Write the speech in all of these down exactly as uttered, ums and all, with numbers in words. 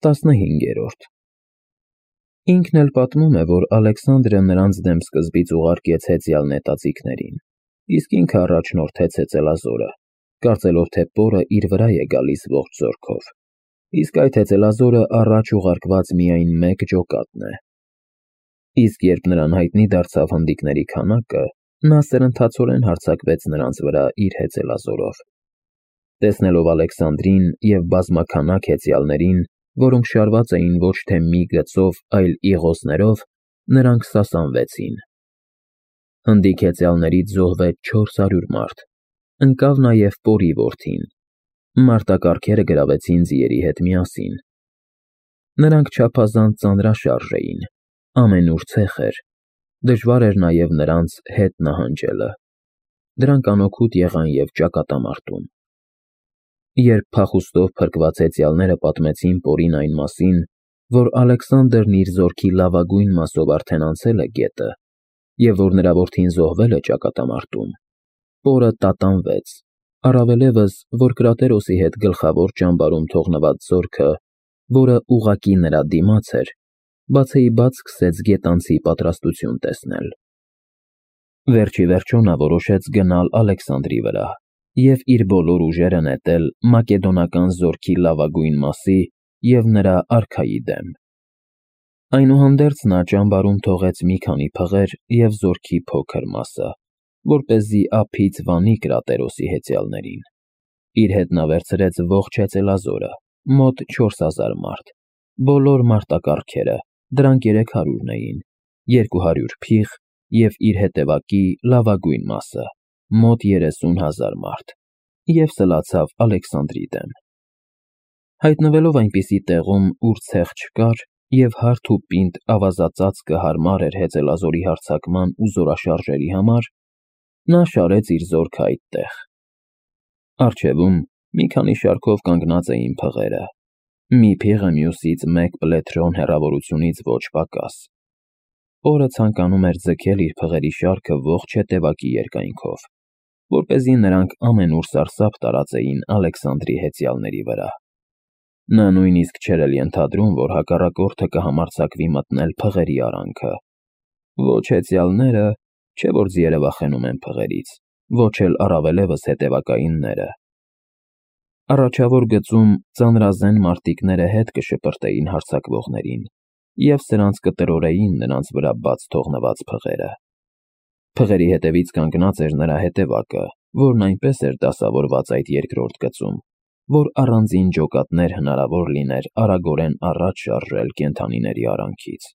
տասնհինգերորդ Ինքն էլ պատմում է, որ Ալեքսանդրը նրանց դեմ սկզբից ուղարկեց հեծյալ նետաձիգներին, իսկ ինքը առաջնորդեց հեծելազորը, կարծելով, թե պորը իր վրա է գալիս ողջ զորքով, իսկ այդ հեծելազորը առաջ ուղարկված միայն մեկ ջոկատն է։ Իսկ երբ նրան հայտնի դարձավ հնդիկների քանակը, նա սրընթացորեն հարձակվեց նրանց վրա իր հեծելազորով։ Տեսնելով Ալեքսանդրին և բազմաքանակ հեծյալներին, որոնք շարված էին ոչ թե մի գծով, այլ իղոսներով, նրանք սասանվեցին։ Հնդիկ հեծյալներից զոհվեց չորս հարյուր մարդ, ընկավ նաև պորի որդին, մարտակառքերը գրավեցին ձիերի հետ միասին։ Նրանք չափազանց ծանրաշարժ էին, ամենուր ցեխ էր, դժվար էր նաև նրանց հետ նահանջելը, դրանք անօգուտ եղան և ճակատամարտում։ Երբ փախուստով փրկված հեծյալները պատմեցին պորին այն մասին, որ Ալեքսանդրն իր զորքի լավագույն մասով արդեն անցել է գետը, և որ նրա որդին զոհվել է ճակատամարտում, պորը տատանվեց, առավելևս, որ Կրատերոսի հետ գլխավոր ճամբարում թողնված զորքը, որը ուղղակի նրա դիմաց էր, բացեիբաց սկսեց գետանցի պատրաստություն տեսնել։ Վերջիվերջո նա որոշեց գնալ Ալեքսանդրի վրա և իր բոլոր ուժերը նետել մակեդոնական զորքի լավագույն մասի և նրա արքայի դեմ։ Այնուհանդերձ նա ճամբարում թողեց մի քանի փղեր և զորքի փոքր մասը, որպեսզի ափից վանի Կրատերոսի հեծյալներին։ Իր հետ նա վերցրեց ողջ հեծելազորը, մոտ չորս հազար մարդ, բոլոր մարտակառքերը, դրանք երեք հարյուրն էին, երկու հարյուր փիղ և իր հետևակի լավագույն մասը, մոտ երեսուն հազար մարդ, և սլացավ Ալեքսանդրի դեմ։ Հայտնվելով այնպիսի տեղում, ուր ցեխ չկար, և հարթ ու պինդ ավազածածկը հարմար էր հեծելազորի հարձակման ու զորաշարժերի համար, նա շարեց իր զորքը այդտեղ։ Առջևում մի քանի շարքով կանգնած էին փղերը, մի փիղը մյուսից մեկ պլեթրոն հեռավորությունից ոչ պակաս։ Պորը ցանկանում էր ձգել իր փղերի շարքը ողջ հետևակի երկայնքով, որպեսզի նրանք ամենուր սարսափ տարածեին Ալեքսանդրի հեծյալների վրա։ Նա նույնիսկ չէր էլ ենթադրում, որ հակառակորդը կհամարձակվի մտնել փղերի արանքը։ Ոչ հեծյալները, չէ որ ձիերը վախենում են փղերից, ոչ էլ առավելևս հետևակայինները։ Առաջավոր գծում ծանրազեն մարտիկները հետ կշպրտեին հարձակվողներին և սրանց կտրորեին նրանց վրա բաց թողնված փղերը։ Փղերի հետևից կանգնած էր նրա հետևակը, որն այնպես էր դասավորված այդ երկրորդ գծում, որ առանձին ջոկատներ հնարավոր լիներ արագորեն առաջ շարժել կենդանիների արանքից։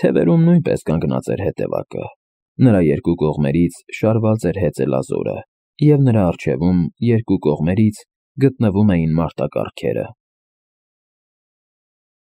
Թևերում նույնպես կանգնած էր հետևակը, նրա երկու կողմերից շարված էր հեծելազորը, և նրա առջևում երկու կողմերից գտնվում էին մարտակառքերը։